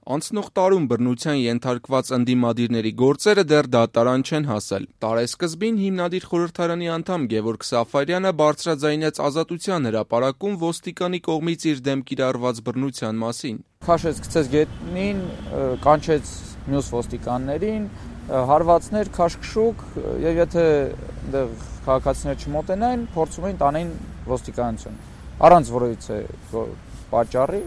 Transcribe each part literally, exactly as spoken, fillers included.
Անցնող տարում բռնության ենթարկված ընդդիմադիրների գործերը դեռ դատարան չեն հասել։ Տարեսկզբին հիմնադիր խորհրդարանի անդամ Գևորգ Սաֆարյանը բարձրաձայնեց Ազատության հրապարակում ոստիկանի կողմից իր դեմ կիրառված բռնության մասին։ Քաշեց գցեց գետնին, կանչեց մյուս ոստիկաններին, հարվածներ, քաշքշուկ, եւ եթե այնտեղ քաղաքացիները չմոտենային, փորձում էին տանեն ոստիկանություն։ Առանց որևիցե պատճառի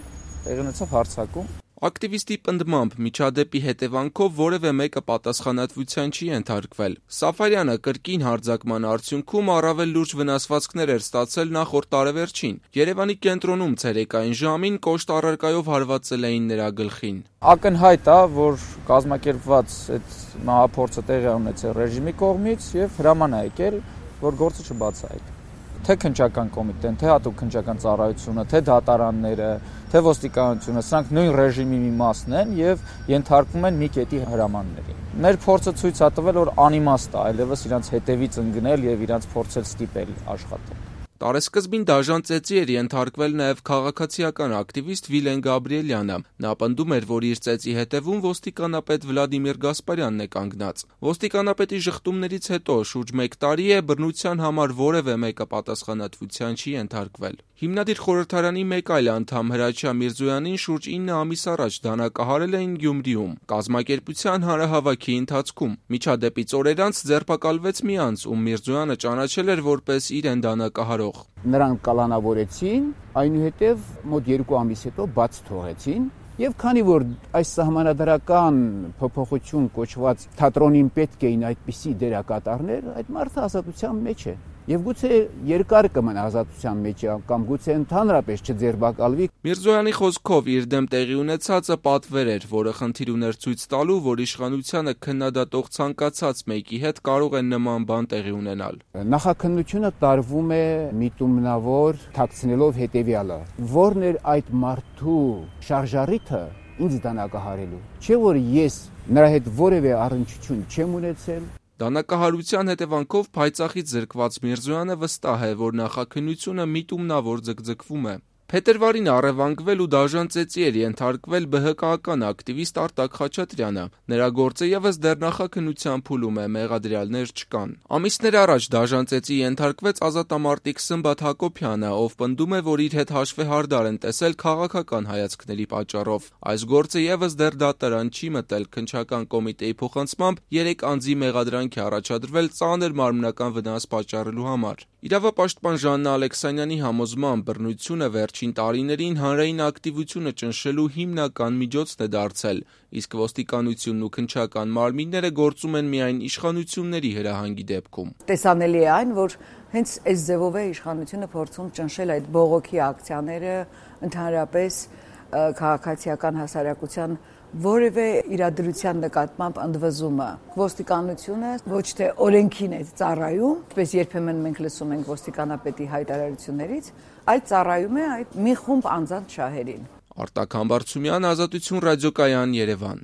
տեղի ունեցավ հարձակում։ Ակտիվիստի պնդմամբ միջադեպի հետևանքով որևէ մեկը պատասխանատվության չի ենթարկվել։ Սաֆարյանը կրկին հարձակման արդյունքում առավել լուրջ վնասվածքներ էր ստացել նախորդ տարեվերջին։ Երևանի կենտրոնում ցերեկային ժամին կոշտ առարկայով հարվածել էին նրա գլխին։ Ակնհայտ է, որ կազմակերպված այդ մահափորձը տեղի ունեցել ռեժիմի կողմից եւ հրաման է եկել, որ գործը չբացահայտվի։ Թե քննչական կոմիտեն, թե հատուկ քննչական ծառայությունը, թե դատարանները, թե ոստիկանությունը, սրանք նույն ռեժիմի մի մասն են եւ ենթարկվում են մի կետի հրամանների։ Մեր փորձը ցույց է տվել, որ անիմաստ է այլևս իրանց հետևից ընկնել եւ իրանց փորձել ստիպել աշխատել։ Տարեսկզբին դաժան ծեծի էր ենթարկվել նաև քաղաքացիական ակտիվիստ Վիլեն Գաբրիելյանը։ Նա պնդում էր, որ իր ծեծի հետևում ոստիկանապետ Վլադիմիր Գասպարյանն է կանգնած։ Ոստիկանապետի ժխտումներից հետո շուրջ մեկ տարի է բռնության համար որևէ մեկը պատասխանատվության չի ենթարկվել։ Հիմնադիր խորհրդարանի մեկ այլ անդամ Հրաչյա Միրզոյանին շուրջ ինը ամիս առաջ դանակահարել էին Գյումրիում կազմակերպության հանրահավաքի ընթացքում։ Միջադեպից օրեր անց ձերբակալվեց մի անձ, ում Միրզոյանը ճանաչել էր որպես իրեն դանակահարող։ Նրանք կալանավորեցին, այնուհետև մոտ երկու ամիս հետո բաց թողեցին։ Եվ քանի որ այս սահմանադրական փոփոխություն կոչված թատրոնին պետք էին այդպիսի դերակատարներ, այդ մարդը ազատության մեջ է։ Եվ գուցե երկար կմնա ազատության մեջ կամ գուցե ընդհանրապես չձերբակալվի։ Միրզոյանի խոսքով իր դեմ տեղի ունեցածը պատվեր էր, որը խնդիր ուներ ցույց տալու, որ իշխանությանը քննադատող ցանկացած մեկի հետ կարող է նման բան տեղի ունենալ։ Նախաքննությունը տարվում է միտումնավոր թաքցնելով հետևյալը. որն էր այդ մարդու շարժառիթը ինձ դանակահարելու։ Չէ՞ որ ես նրա հետ որևէ առնչություն չեմ ունեցել։ Դանակահարության հետևանքով փայծաղից զրկված Միրզոյանը վստահ է, որ նախաքննությունը միտումնավոր ձգձգվում է։ Փետրվարին առևանգվել ու դաժան ծեծի էր ենթարկվել ԲՀԿ-ական ակտիվիստ Արտակ Խաչատրյանը։ Նրա գործը եւս դեռ նախաքննության փուլում է, մեղադրյալներ չկան։ Ամիսներ առաջ դաժան ծեծի ենթարկվեց ազատամարտիկ Սմբատ Հակոբյանը, ով պնդում է, որ իր հետ հաշվեհարդար են տեսել քաղաքական հայացքների պատճառով։ Այս գործը եւս դեռ դատարան չի մտել։ Քննչական կոմիտեի փոխանցմամբ երեք անձի մեղադրանք է առաջադրվել ծանր մարմնական վնաս պատճառելու համար։ Իրավապաշտպան Ժաննա Ալեքսանյանի համոզմամբ բռնությունը վերջին տարիներին հանրային ակտիվությունը ճնշելու հիմնական միջոցն է դարձել, իսկ ոստիկանությունն ու քննչական մարմինները գործում են միայն իշխանությունների հրահանգի դեպքում։ Տեսանելի է այն, որ հենց այս ձևով է իշխանությունը փորձում ճնշել այդ բողոքի ակցիաները, ընդհանրապես քաղաքացիական հասարակության որևէ իրադրության նկատմամբ ընդվզումը։ Ոստիկանությունը ոչ թե օրենքին է ծառայում, ինչպես երբեմն մենք լսում ենք ոստիկանապետի հայտարարություններից, այլ ծառայում է այդ մի խումբ անձանց շահերին։ Արտակ Համբարձումյան, Ազատություն ռադիոկայան, Երևան։